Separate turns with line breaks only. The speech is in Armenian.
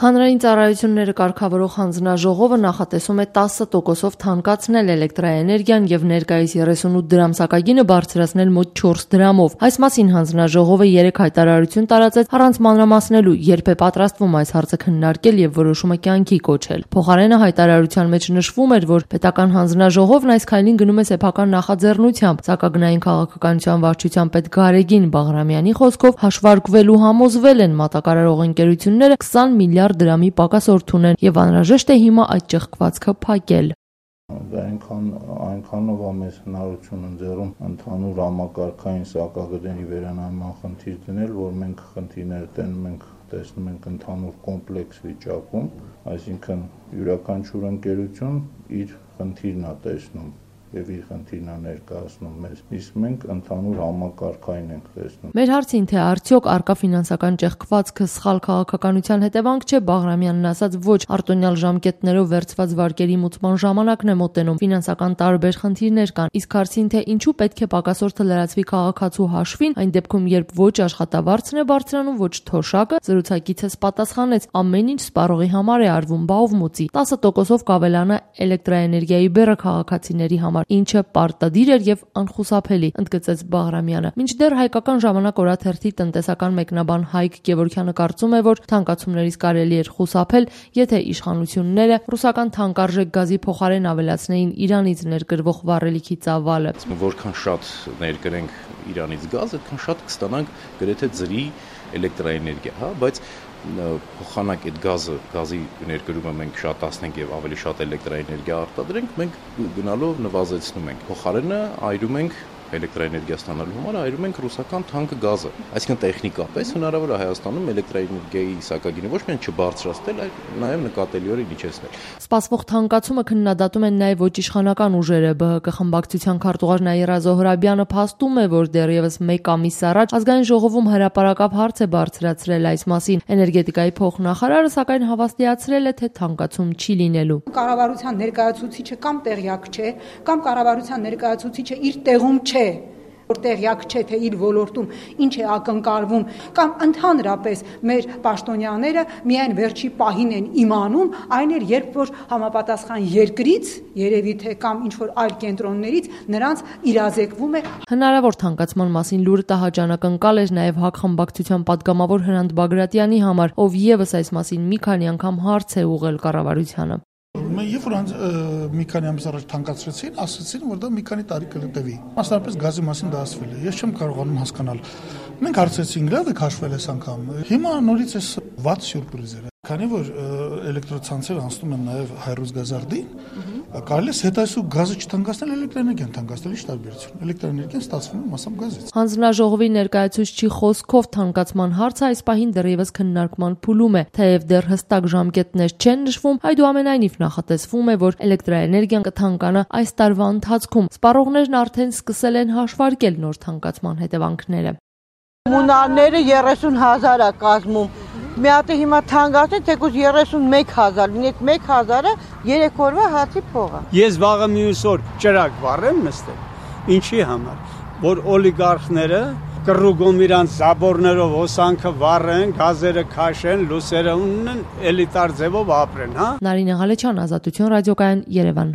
Հանրային ծառայությունները կարգավորող հանձնաժողովը նախատեսում է 10%-ով թանկացնել էլեկտրաէներգիան եւ ներկայիս 38 դրամ սակագինը բարձրացնել մոտ 4 դրամով։ Այս մասին հանձնաժողովը 3 հայտարարություն տարածեց առանց մանրամասնելու, երբ է պատրաստվում այս հարցը քննարկել եւ որոշումը կյանքի կոչել։ Փոխարենը հայտարարության մեջ նշվում էր, որ պետական հանձնաժողովն այս քայլին գնում է սեփական նախաձեռնությամբ, սակագնային քաղաքականության վարչության պետ Գարեգին Բաղրամյանի խոսքով հաշվարկվելու համոզվել են մատակարարող ընկերությունները 20 միլիարդ դրամի պակասորդ ունեն եւ անհրաժեշտ է հիմա այդ ճեղքվածքը փակել։
Դա այնքանով է մեզ հնարություն ընձեռում ընդհանուր համակարգային սակագների վերանայման խնդիր դնել, որ մենք խնդիրներ տեսնում ենք ընդհանուր կոմպլեքս վիճակում, այսինքն յուրաքանչյուր ընկերություն իր խնդիրն է տեսնում եւ իր խնդիրն է ներկայացնում մեզ, իսկ մենք ընդհանուր համակարգային ենք տեսնում։
Մեր հարցին, թե արդյոք արկա ֆինանսական ճեղքվածքը սխալ քաղաքականության հետևանք չէ, Բաղրամյանն ասաց ոչ, արտոնյալ ժամկետներով վերցված վարկերի մուծման ժամանակն է մոտենում, ֆինանսական տարբեր խնդիրներ կան, իսկ հարցին, թե ինչու պետք է պակասորթը լրացվի քաղաքացու հաշվին, այն դեպքում, երբ ոչ աշխատավարձն է բարձրանում, ոչ թոշակը, զրուցակիցս պատասխանեց, ամեն ինչ սպառողի համար է արվում, բա ով մուծի, 10%-ով կավելանա էլեկտրաէներգիայի բեռը քաղաքացիների համար, ինչը պարտադիր էր եւ անխուսափելի, ընդգծեց Բաղրամյանը։ Մինչդեռ Հայկական ժամանակ օրաթերթի տնտեսական մեկնաբան Հայկ Գևորգյանը կարծում է, որ թանկացումներից կարելի էր խուսափել, եթե իշխանությունները ռուսական թանկարժեք գազի փոխարեն ավելացնեին Իրանից ներկրվող վառելիքի ծավալը։
Որքան շատ ներկրենք Իրանից գազ, այդքան շատ կստանանք գրեթե ձրի էլեկտրաէներգիա, հա, բայց փոխանակ այդ գազի ներկրումը մենք շատացնենք եւ ավելի շատ էլեկտրաէներգիա արտադրենք, մենք գնալով նվազեցնում ենք։ Փոխարենը այրում ենք էլեկտրաէներգիա ստանալու համար այրում ենք ռուսական թանկ գազը։ Այսինքն տեխնիկապես հնարավոր է Հայաստանում էլեկտրաէներգիայի սակագինը ոչ միայն չբարձրացնել, այլ նաեւ նկատելիորեն իջեցնել։
Սպասվող թանկացումը քննադատում են նաեւ ոչ իշխանական ուժերը։ ԲՀԿ խմբակցության քարտուղար Նաիրա Զոհրաբյանը փաստում է, որ դեռևս 1 ամիս առաջ ազգային ժողովում հրապարակապ հարց է բարձրացրել այս մասին։ Էներգետիկայի փոխնախարարը սակայն հավաստիացրել է, թե թանկացում չի լինելու։
Կառավարության ներկայացուցիչը կամ տեղյակ չէ, կամ կառավարության ներկայացուցիչը իր տեղում չէ, որ տեղյակ չէ, թե իր ոլորտում ինչ է ակնկալվում, կամ ընդհանրապես մեր պաշտոնյաները միայն վերջի պահին են իմանում, այն էր, երբ որ համապատասխան երկրից, երևի թե կամ ինչ-որ այլ կենտրոններից նրանց իրազեկվում է։
Հնարավոր թանկացման մասին լուրը տհաճանակնկալ էր նաև ՀԱԿ խմբակցության պատգամավոր Հրանտ Բագրատյանի համար, ով եւս այս մասին մի քանի անգամ հարց է ուղղել կառավարությանը։
Երբ որ մի քանի ամիս առաջ թանկացրեցին, ասացին, որ դա մի քանի տարի կլետևի։ Մասնավորապես գազի մասին դա ասվել է։ Ես չեմ կարողանում հասկանալ։ Մենք հարցրեցինք, լավ է քաշվել այս անգամ։ Հիմա նորից էս վատ սյուրպրիզեր է։ Քանի որ էլեկտրոցանցերը անցնում են նաև հայրուսգազարդին, կարելի է հետայսու գազը չթանկացնել, էլեկտրաէներգիան թանկացնել, ի՞նչ տարբերություն։ Էլեկտրաէներգիան ստացվում է մասամբ գազից։
Հանձնաժողովի ներկայացուցչի խոսքով թանկացման հարցը այս պահին դեռևս քննարկման փուլում է, թեև դեռ հստակ ժամկետներ չեն նշվում, այդուամենայնիվ նախատեսվում է, որ էլեկտրաէներգիան կթանկանա այս տարվա ընթացքում։ Սպառողներն արդեն սկսել են հաշվարկել նոր թանկացման հետևանքները։
Մունարները 30,000 է կազմում։ Մի հատ հիմա թանկացնի, թեկուզ 31,000, լինի 1,000-ը 3 օրվա հացի փող է։
Ես վաղը մյուս օր ճրագ վառեմ նստել։ Ինչի համար, որ օլիգարխները կռուգում իրանց զաբորներով հոսանքը վառեն, գազերը քաշեն, լուսերը ունեն, էլիտար ձևով ապրեն, հա։
Նարինե Ղալեչյան, Ազատություն ռադիոկայան, Երևան։